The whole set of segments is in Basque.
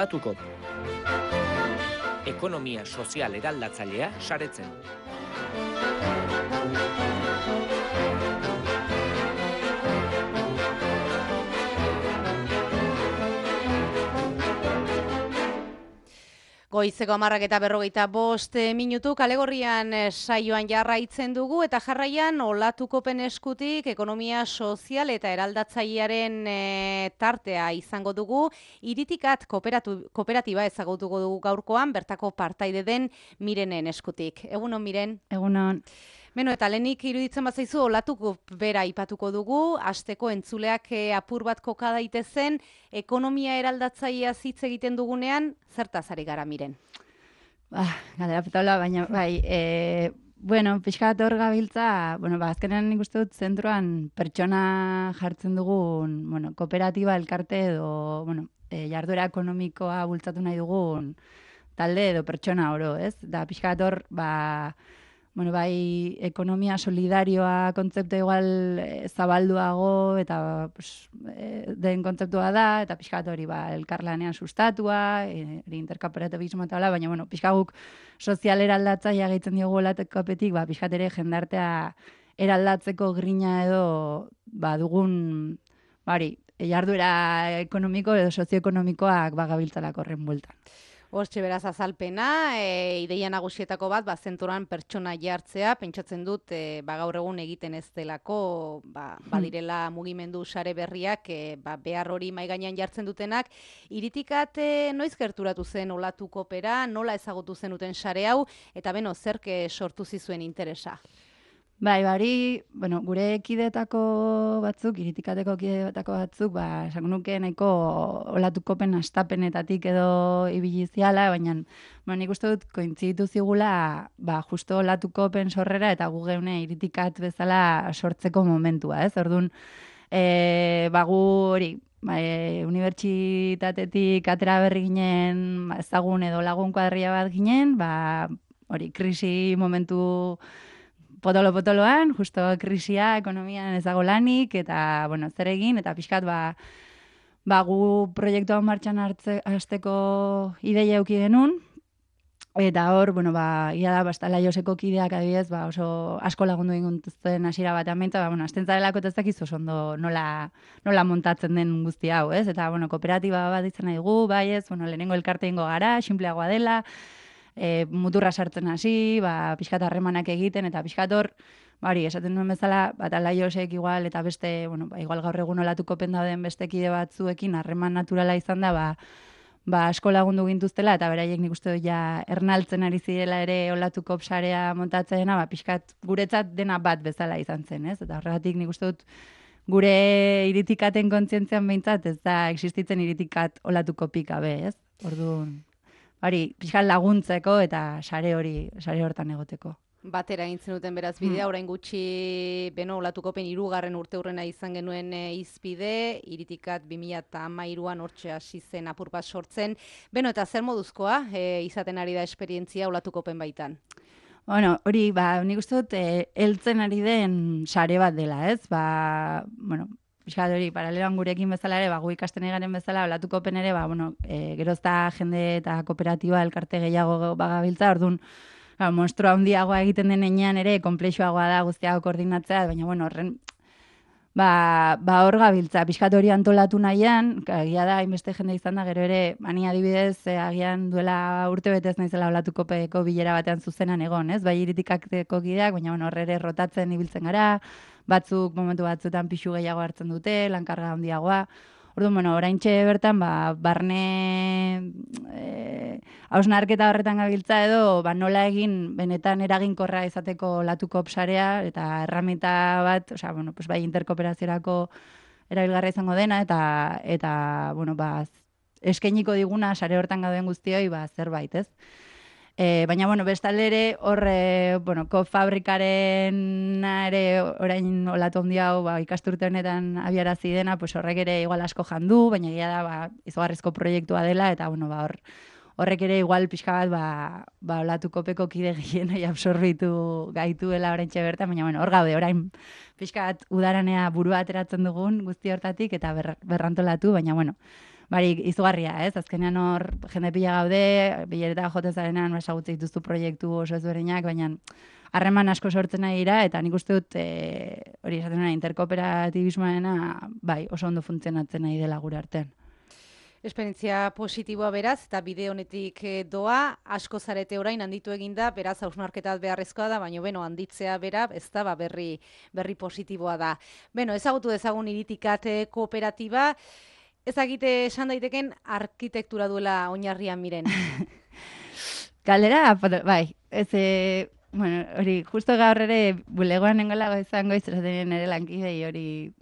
Olatukop. Ekonomia sozial eraldatzailea saretzen. Goizeko 10:45 minutu kalegorrian saioan jarraitzen dugu eta jarraian Olatukopen eskutik ekonomia sozial eta eraldatzailearen tartea izango dugu. Iritikat kooperatiba ezagutuko dugu gaurkoan, bertako partaide den Mirenen eskutik. Egunon, Miren? Egunon. Beno, eta lehenik iruditzen bazaizu Olatukop bera aipatuko dugu, hasteko entzuleak apur bat koka daitezen, ekonomia eraldatzailea hitz egiten dugunean, zertaz ari gara, Miren? Galdera petaula, baina bai, pixkat hor gabiltza, azkenean nik uste dut zentroan pertsona jartzen dugun, kooperatiba, elkarte edo, jarduera ekonomikoa bultzatu nahi dugun talde edo pertsona oro, ez? Da pixkat hor, bai, ekonomia solidarioa kontzeptu igual zabalduago eta den kontzeptua da, eta pixkat hori elkarlanean sustatua, interkooperatibismo eta baina pixkat guk sozial eraldatzailea gehitzen diogu Olatukopetik, pixkat ere jendartea eraldatzeko grina edo dugun jarduera ekonomiko edo sozioekonomikoak gabiltzalako horren bueltan. Hortxe beraz azalpena, ideia nagusietako bat, zentroan pertsona jartzea, pentsatzen dut, gaur egun egiten ez delako, badirela mugimendu sare berriak, behar hori mahai gainean jartzen dutenak. Iritikat noiz gerturatu zen Olatukopera, nola ezagutu zenuten sare hau, eta zerk sortu zizuen interesa? Gure kideetako batzuk, iritikateko kideetako batzuk, esango nuke nahiko Olatukopen hastapenetatik edo ibili ziala, baina nik uste dut kointziditu zigula justo Olatukopen sorrera eta gu geune iritikat bezala sortzeko momentua, ez? Orduan, gu hori, unibertsitatetik atera berri ginen ezagun edo lagun kuadria bat ginen, hori krisi momentu potolo-potoloan, justo krisia, ekonomian ez dago lanik, eta, zer egin, eta pixkat, gu proiektua martxan hasteko ideia eduki genuen, eta hor, ia da, bastala Joseko kideak adibidez, oso asko lagundu egintzen hasiera batean behintzat, azten zarelako ez dakiz oso ondo nola montatzen den guzti hau, ez? Eta, kooperatiba bat izan nahi dugu, lehenengo elkarte ingo gara, sinpleagoa dela, muturra sartzen hasi, pixkat harremanak egiten, eta pixkat hor, esaten duen bezala, Laiosek igual, eta beste, igual gaur egun Olatukopen dauden beste kide batzuekin harreman naturala izan da, asko lagundu gintuztela, eta beraiek nik uste dut ernaltzen ari zirela ere Olatukop sarea montatzeena, pixkat guretzat dena bat bezala izan zen, ez? Eta horregatik nik uste dut gure iritikaten kontzientzian behintzat, ez da existitzen iritikat Olatukopik gabe, ez? Orduan, pixkat laguntzeko eta sare hortan egoteko. Batera egintzen duten beraz bidea, orain gutxi Olatukopen 3. urteurrena izan genuen izpide, iritikat 2013an hortxe hasi zen apur bat sortzen. Eta zer moduzkoa izaten ari da esperientzia Olatukopen baitan? Hori, nik uste dut heltzen ari den sare bat dela, ez? Piskat hori, paraleloan gurekin bezala ere, gu ikasten egaren bezala, Olatukopen ere, gerozta jende eta kooperatiba elkarte gehiago bagabiltza, orduan, monstrua handiagoa egiten den enean ere, konplexuagoa da guztiago koordinatzea, baina, horren, hor gabiltza, piskat hori antolatu nahian, agia da, hainbeste jende izan da, gero ere, mani adibidez, agian duela urte betez naizela Olatukopeko bilera batean zuzenan egon, ez? Bai iritikateko kideak, baina, horre ere rotatzen ibiltzen gara, batzuk momentu batzuetan pixu gehiago hartzen dute, lankarga handiagoa. Orduan, oraintxe bertan, barne hausnarketa horretan gabiltza edo, nola egin benetan eraginkorra izateko Olatukop sarea, eta erramita bat, bai interkooperaziorako erabilgarra izango dena, eta eskainiko diguna sare hortan gauden guztioi, zerbait, ez? Baina, bestalde ere, hor, kofabrikaren ere orain olatu handi hau ikasturte honetan abiarazi dena, horrek ere igual asko jandu, baina egia da izugarrizko proiektua dela, eta horrek ere igual pixka bat Olatukopeko kide gehienei absorbitu gaituela oraintxe bertan, baina hor gaude, orain pixka bat udaranea burua ateratzen dugun guzti hortatik, eta berrantolatu, baina Barik, izugarria, ez? Azkenean hor jende pila gaude, bilereta jotezarenan esagutze dituzu proiektu oso ezberdinak, baina harreman asko sortzen nahi dira, eta nik uste dut hori esaten dena interkooperatibismoarena bai, oso ondo funtzionatzen nahi dela gure artean. Esperientzia positiboa beraz, eta bide honetik doa, asko zarete orain handitu eginda, beraz hausnarketa beharrezkoa da, baina beno, handitzea bera, ez da, berri positiboa da. Beno, ezagutu dezagun Iritikat kooperatiba, ezagite esan daiteken arkitektura duela oinarrian miren. Galdera, bai, bueno, hori, justo gaur ere bulegoan nengoela izango izaten ere lankidei hori,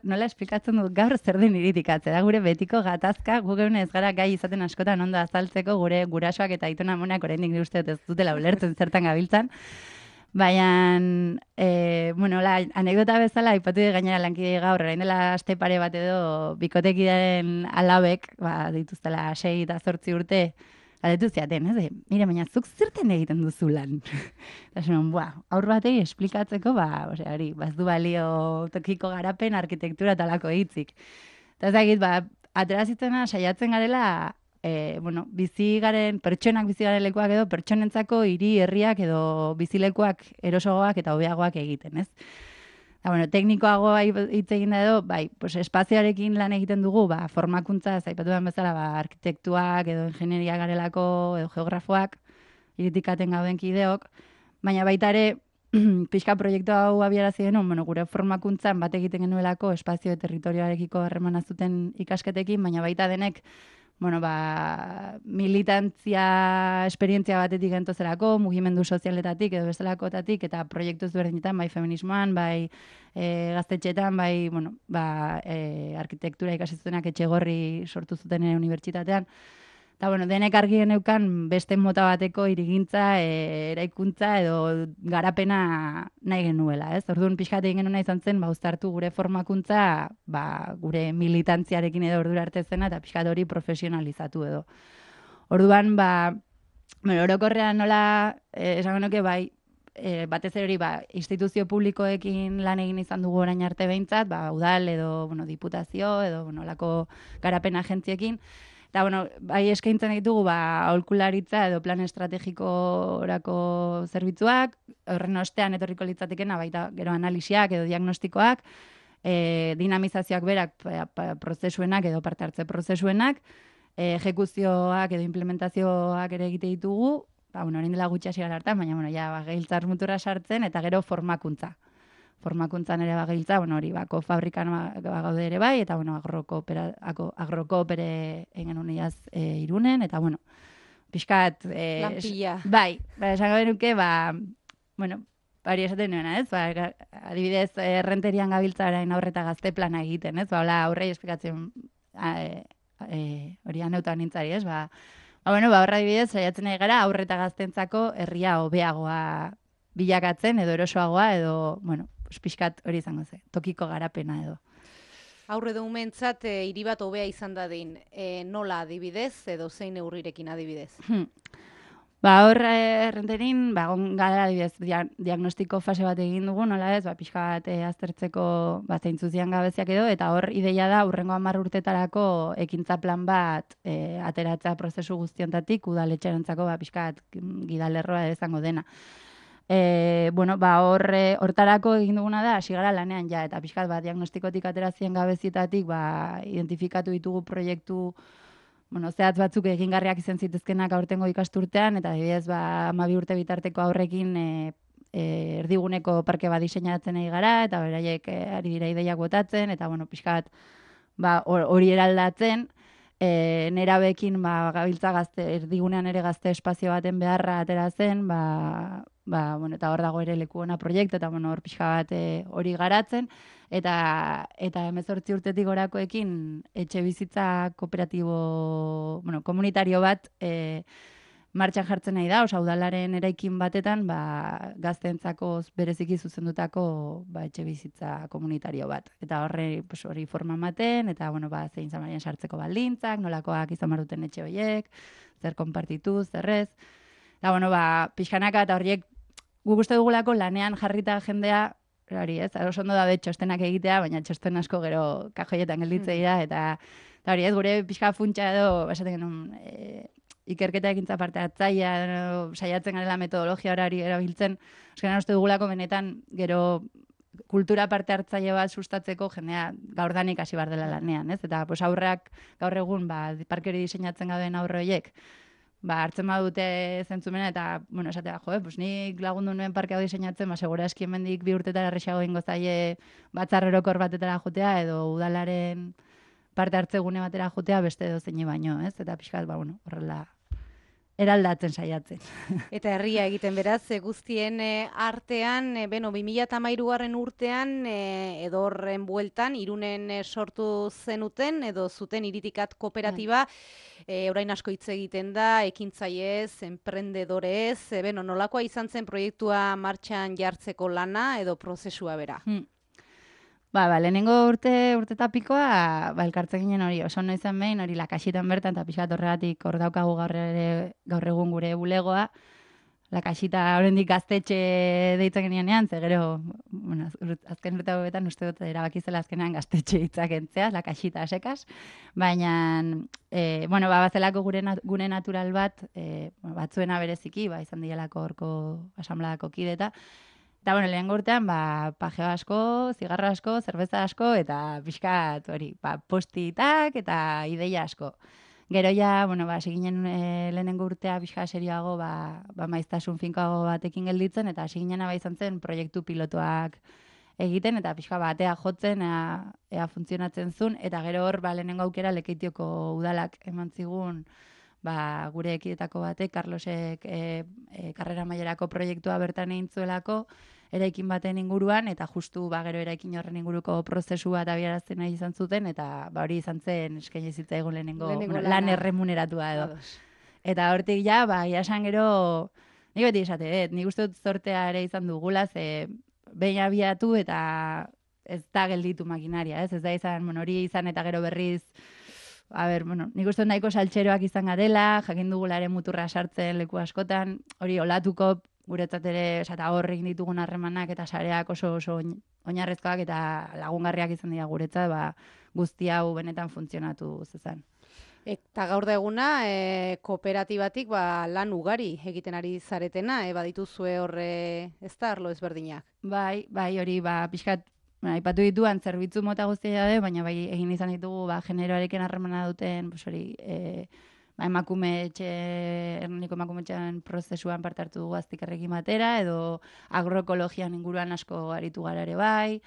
nola esplikatzen dut gaur zer den Iritikatzea, da gure betiko gatazka, gu geune ez gara gai izaten askotan ondo azaltzeko gure gurasoak eta aitona amonak oraindik uste dut ez dutela ulertzen zertan gabiltzan. Baina, bueno, anekdota bezala, aipatu gainera lankidei gaur, orain dela aste pare bat edo bikotekidaren alabek, dituztela 6 eta 8 urte, galdetu ziaten, ez? Mire, baina zuk zerten egiten duzu lan? Eta zen, aur batei esplikatzeko, hori, bazdu balio tokiko garapen, arkitektura talako hitzik. Eta ezagit, aterazitzena saiatzen garela, bueno, pertsonak bizi garen lekuak edo, pertsonentzako hiri herriak edo bizilekuak erosogoak eta hobeagoak egiten, ez? Eta, bueno, teknikoagoa hitz egin da edo, bai, pues espazioarekin lan egiten dugu, formakuntza, zaipatu den bezala, arkitektuak edo ingenieria garelako edo geografoak, Iritikaten gauden kideok, baina baita ere, pixka proiektu hau abiarazi genuen, bueno, gure formakuntzan bat egiten genuelako espazio territorioarekiko harremana zuten ikasketekin, baina baita denek, bueno, militantzia esperientzia batetik gentozerako, mugimendu sozialetatik edo bestelakotatik, eta proiektu ezberdinetan, bai feminismoan, bai gaztetxetan, bai, bueno, arkitektura ikasizutenak Etxegorri sortu zuten unibertsitatean. Eta, bueno, denek argi geneukan beste mota bateko hirigintza, eraikuntza edo garapena nahi genuela, ez? Orduan pixkat egin genuen izan zen, uztartu gure formakuntza, gure militantziarekin edo ordura arte zena, eta pixkat hori profesionalizatu edo. Orduan, orokorrean nola, esango nuke, batez ere hori, instituzio publikoekin lan egin izan dugu orain arte behintzat, udal edo, bueno, diputazio edo, bueno, lako garapen agentziekin. Eta, bueno, eskaintzen ditugu, aholkularitza edo plan estrategikorako zerbitzuak, horren ostean etorriko litzatekena, baita gero analisiak edo diagnostikoak, dinamizazioak berak prozesuenak edo parte hartze prozesuenak, ejekuzioak edo implementazioak ere egite ditugu, orain dela gutxi hasi gara hartan, baina, gehiltzar mutura sartzen, eta gero formakuntza. Formakuntzan ere bagiltza, hori fabrikan gaude ere bai, eta agrokoopere egin uniaz Irunen, eta pixkat... Lanpilla. Bai, esango benuke, hori esaten nuena, ez? Adibidez, errenterian gabiltza orain aurreta gazte plana egiten, ez? Aurrei esplikatzen hori aneutan nintzari, ez? Horra adibidez, saiatzen nahi gara aurreta gaztentzako herria hobeagoa bilakatzen, edo erosoagoa, edo, pixkat hori izango ze, tokiko garapena edo. Aurre du umentzat, hiri bat hobea izan dadin, nola adibidez, edo zein neurrirekin adibidez? Errenterin, gara adibidez, diagnostiko fase bat egin dugu, nola ez, pixkat aztertzeko zeintzuzian gabeziak edo, eta hor ideia da, urrengo 10 urtetarako ekintza plan bat ateratzea prozesu guztiontatik, udaletxerentzako pixkat gidalerroa izango dena. Hortarako egin duguna da, hasi gara lanean ja, eta pixkat diagnostikotik aterazien gabezietatik identifikatu ditugu proiektu zehatz batzuk egingarriak izan zitezkenak aurtengo ikasturtean, eta adibidez 12 urte bitarteko aurrekin erdiguneko parke bat diseinatzen ari gara, eta beraiek ari dira ideiak botatzen, eta pixkat hori eraldatzen, nerabekin gabiltza erdigunean ere gazte espazio baten beharra atera zen, eta hor dago ere leku ona proiektu, eta hor pixka bat hori garatzen, eta 18 urtetik gorakoekin etxe bizitza kooperatibo, komunitario bat martxan jartzen nahi da, udalaren eraikin batetan gazteentzako bereziki zuzendutako etxe bizitza komunitario bat. Eta hori forma ematen, eta zein zamarien sartzeko baldintzak, nolakoak izan maruten etxe horiek, zer konpartitu, zerrez. Eta pixkanaka eta horiek guk uste dugulako lanean jarrita jendea, hori ez, oso ondo da txostenak egitea, baina txosten asko gero kajoietan gelditzea dira, eta Eta hori, ez, gure pixka funtsa edo, esaten genuen, ikerketa ekintza parte hartzaia, saiatzen garela metodologia horari erabiltzen, azkenean uste dugulako benetan, gero kultura parte hartzaile bat sustatzeko jendea gaurdanik hasi bar dela lanean, ez? Eta pues aurrak gaur egun parke hori diseinatzen gauden aurre horiek, hartzen badute zentzumena eta, bueno, esatea, pues nik lagundu nuen parke hau diseinatzen, segura eski hemendik 2 urtetara erresago ingo zaie batzar orokor batetara jotea edo udalaren parte hartze gune batera jotea beste edo zeine baino, ez? Eta pixkat, bueno, horrela eraldatzen saiatzen. Eta herria egiten beraz, guztien artean, 2013 urtean, edo horren bueltan, Irunen sortu zenuten, edo zuten iritikat kooperatiba, orain asko hitz egiten da, ekintzaiez, emprendedorez, nolakoa izan zen proiektua martxan jartzeko lana, edo prozesua bera? Lehenengo urte eta pikoa, elkartzen ginen hori, oso noizan behin, hori Lakaxitan bertan, eta pixkat horregatik hor daukagu gaur egun gure bulegoa. Lakaxita oraindik gaztetxe deitzen genienean, ze gero, bueno, azken urte hauetan uste dut erabakizela azkenean gaztetxe hitzak entzea, Lakaxita sekaz, baina, bazelako gune natural bat, batzuena bereziki, izan dielako horko asamladako kideta, eta, lehenengo urtean, pajeo asko, zigarro asko, zerbeza asko, eta pixkat, hori, postitak eta ideia asko. Gero ja, hasi ginen lehenengo urtea pixka serioago, maiztasun finkoago batekin gelditzen, eta hasi ginen izan zen proiektu pilotuak egiten, eta pixka batea jotzen, ea funtzionatzen zuen, eta gero hor, lehenengo aukera Lekeitioko udalak eman zigun, gure ekidetako batek, Carlosek karrera mailerako proiektua bertan egin zuelako, eraikin baten inguruan, eta justu gero eraikin horren inguruko prozesu bat abiarazten nahi izan zuten, eta hori izan zen eskaini zitzaigun lehenengo lan erremuneratua edo. Eta hortik ja, iasan gero, nik beti esate, nik uste dut zortea ere izan dugula, ze behin abiatu eta ez da gelditu makinaria, ez da izan, hori izan eta gero berriz, nik uste nahiko saltxeroak izan garela, jakin dugularen muturra sartzen leku askotan, hori olatuko guretzat ere, eta horrekin ditugun harremanak eta sareak oso oinarrezkoak eta lagungarriak izan dira guretzat, guzti hau benetan funtzionatu zezan. Eta gaur da eguna, kooperatibatik lan ugari egiten ari zaretena, badituzue horre ez da arlo ezberdinak? Bai, hori, pixkat, aipatu dituan zerbitzu mota guztia da, baina egin izan ditugu generoarekin harremana duten, hori, erniko emakumetxean prozesuan parte hartu dugu aztikarrekin batera, edo agroekologian inguruan asko aritu gara ere bai,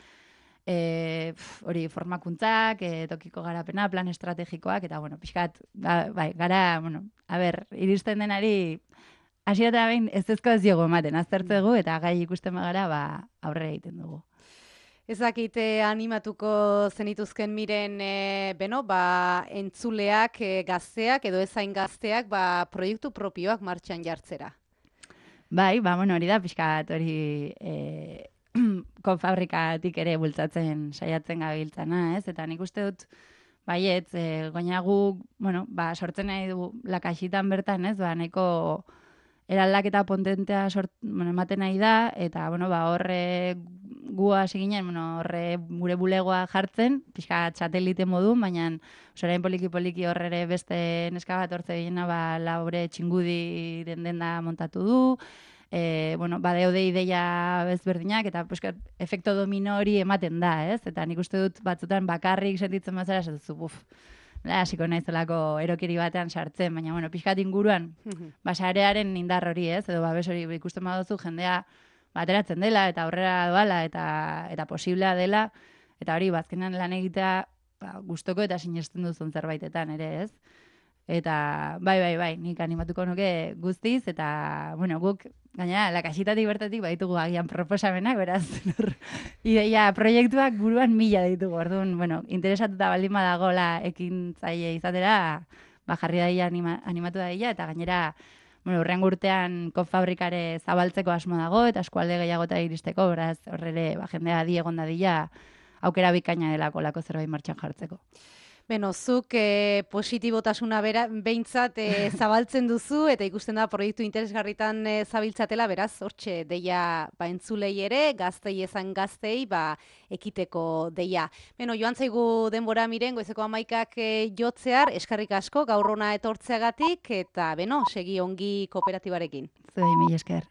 hori formakuntzak, tokiko garapena, plan estrategikoak, eta, pixkat, gara, iristen denari, hasiera behin ez ez diogu ematen, aztertzegu, eta gai ikusten bagara, aurre egiten dugu. Ezakite animatuko zenituzken miren, entzuleak, gazteak, edo ezain gazteak, proiektu propioak martxan jartzera. Hori da, pixkat, hori konfabrikatik ere bultzatzen saiatzen gabiltzana, ez? Eta nik uste dut, goina gu, sortzen nahi du Lakaxitan bertan, ez? Nahiko eraldaketa potentea ematen nahi da, eta, horre gu hasi ginen, horre gure bulegoa jartzen, pixka txatelite modu, baina orain poliki horre beste neska bat hortze gina, laure txingudi denda montatu du, badeude ideia bezberdinak, eta efekto domino hori ematen da, ez? Eta nik uste dut batzutan bakarrik sentitzen bazara, esatuzu, hasiko naizelako erokeri batean sartzen, baina, pixkat inguruan, sarearen indar hori, ez? Edo, hori ikusten baduzu jendea ateratzen dela, eta aurrera doala, eta posiblea dela, eta hori, bazkenan lan egitea gustoko eta sinesten duzun zerbaitetan ere, ez? Eta, bai, nik animatuko nuke guztiz, eta, guk, gaina, Lakaxitatik bertatik baditugu agian proposamenak, beraz, ideia proiektuak buruan 1000 ditugu, orduan, interesatuta baldin badagola ekintzaile izatera, jarri daia animatu daia, eta gainera, urrengo urtean konfabrikare zabaltzeko asmo dago, eta eskualde gehiagota iristeko, beraz, horrele, jendea egon dadila, aukera bikaina delako lako zerbait martxan jartzeko. Beno, zuk positibotasuna behintzat zabaltzen duzu, eta ikusten da proiektu interesgarritan zabiltzatela, beraz, hortxe, deia entzulei ere, gaztei ezan gaztei, ekiteko deia. Beno, joan zaigu denbora miren, goizeko 11 jotzear, eskerrik asko, gaur hona etortzeagatik, eta beno, segi ongi kooperatibarekin. Zuei, mila esker.